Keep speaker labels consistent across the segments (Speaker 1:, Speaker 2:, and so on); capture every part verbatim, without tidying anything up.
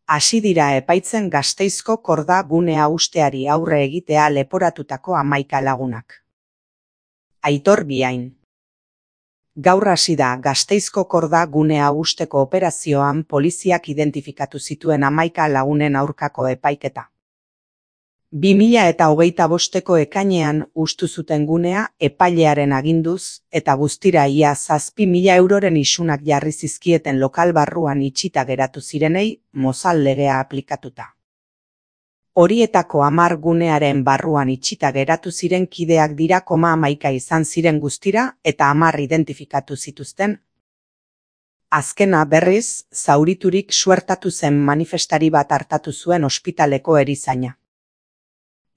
Speaker 1: Hasi dira epaitzen Gasteizko korda gunea usteari aurre egitea leporatutako hamaika lagunak. Aitor Biain. Gaur hasi da Gasteizko korda gunea usteko operazioan poliziak identifikatu zituen hamaika lagunen aurkako epaiketa. bi mila hogeita bosteko ekainean hustu zuten gunea epailearen aginduz eta guztira ia zazpi mila euroren isunak jarri zizkieten lokal barruan itxita geratu zirenei mozal legea aplikatuta. Horietako hamar gunearen barruan itxita geratu ziren kideak dira koma hamaika izan ziren guztira eta hamar identifikatu zituzten. Azkena berriz, zauriturik suertatu zen manifestari bat artatu zuen ospitaleko erizaina.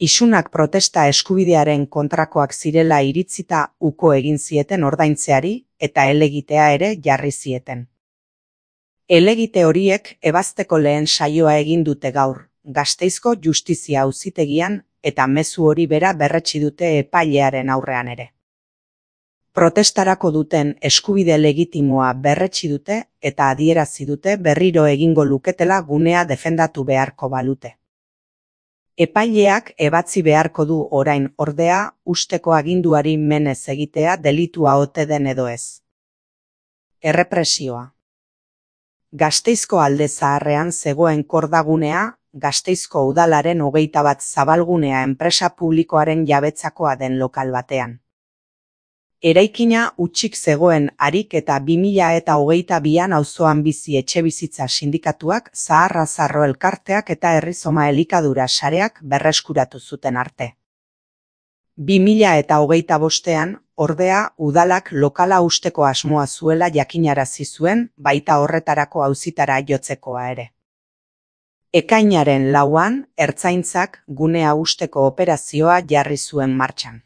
Speaker 1: Isunak protesta eskubidearen kontrakoak zirela iritzita uko egin zieten ordaintzeari eta helegitea ere jarri zieten. Helegite horiek ebazteko lehen saioa egin dute gaur, Gasteizko Justizia Auzitegian eta mezu hori bera berretsi dute epailearen aurrean ere. Protestarako duten eskubide legitimoa berretsi dute eta adierazi dute berriro egingo luketela gunea defendatu beharko balute. Epaileak ebatzi beharko du orain ordea usteko aginduari menez egitea delitua ote den edo ez. Errepresioa. Gasteizko alde zaharrean zegoen kordagunea, Gasteizko udalaren hogeita bat zabalgunea enpresa publikoaren jabetzakoa den lokal batean. Eraikina hutsik zegoen harik eta bi mila hogeita bian auzoan bizi etxebizitza sindikatuak, Zaharra Zarro elkarteak eta Herrizoma elikadura sareak berreskuratu zuten arte. bi mila hogeita bostean, ordea, udalak lokala usteko asmoa zuela jakinarazi zuen, baita horretarako auzitara jotzekoa ere. Ekainaren lauan, Ertzaintzak gunea usteko operazioa jarri zuen martxan.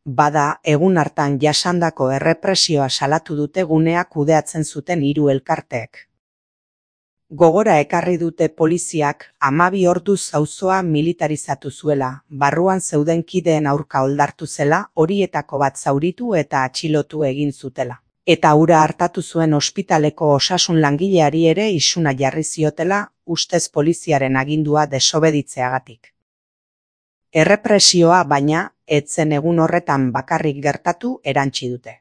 Speaker 1: Bada, egun hartan jasandako errepresioa salatu dute gunea kudeatzen zuten hiru elkarteek. Gogora ekarri dute poliziak hamabi orduz auzoa militarizatu zuela, barruan zeuden kideen aurka oldartu zela, horietako bat zauritu eta atxilotu egin zutela. Eta hura hartatu zuen ospitaleko osasun langileari ere isuna jarri ziotela, ustez poliziaren agindua desobeditzeagatik. Errepresioa baina, etzen egun horretan bakarrik gertatu erantsi dute.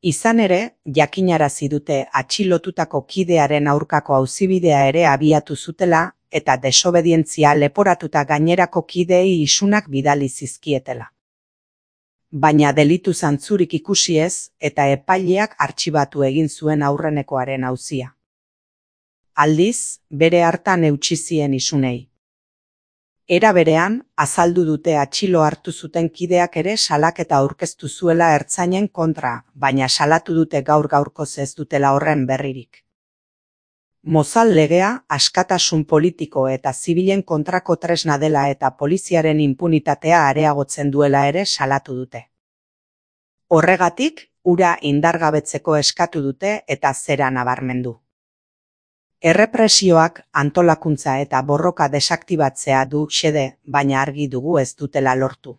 Speaker 1: Izan ere, jakinarazi dute atxilotutako kidearen aurkako auzibidea ere abiatu zutela eta desobedientzia leporatuta gainerako kideei isunak bidali zizkietela. Baina delitu zantzurik ikusi ez eta epaileak artxibatu egin zuen aurrenekoaren auzia. Aldiz, bere hartan eutsi zien isunei. Era berean, azaldu dute atxilo hartu zuten kideak ere salaketa aurkeztu zuela ertzainen kontra, baina salatu dute gaur gaurkoz ez dutela horren berririk. Mozal legea, askatasun politiko eta zibilen kontrako tresna dela eta poliziaren inpunitatea areagotzen duela ere salatu dute. Horregatik, hura indargabetzeko eskatu dute eta zera nabarmendu. Errepresioak antolakuntza eta borroka desaktibatzea du xede, baina argi dugu ez dutela lortu.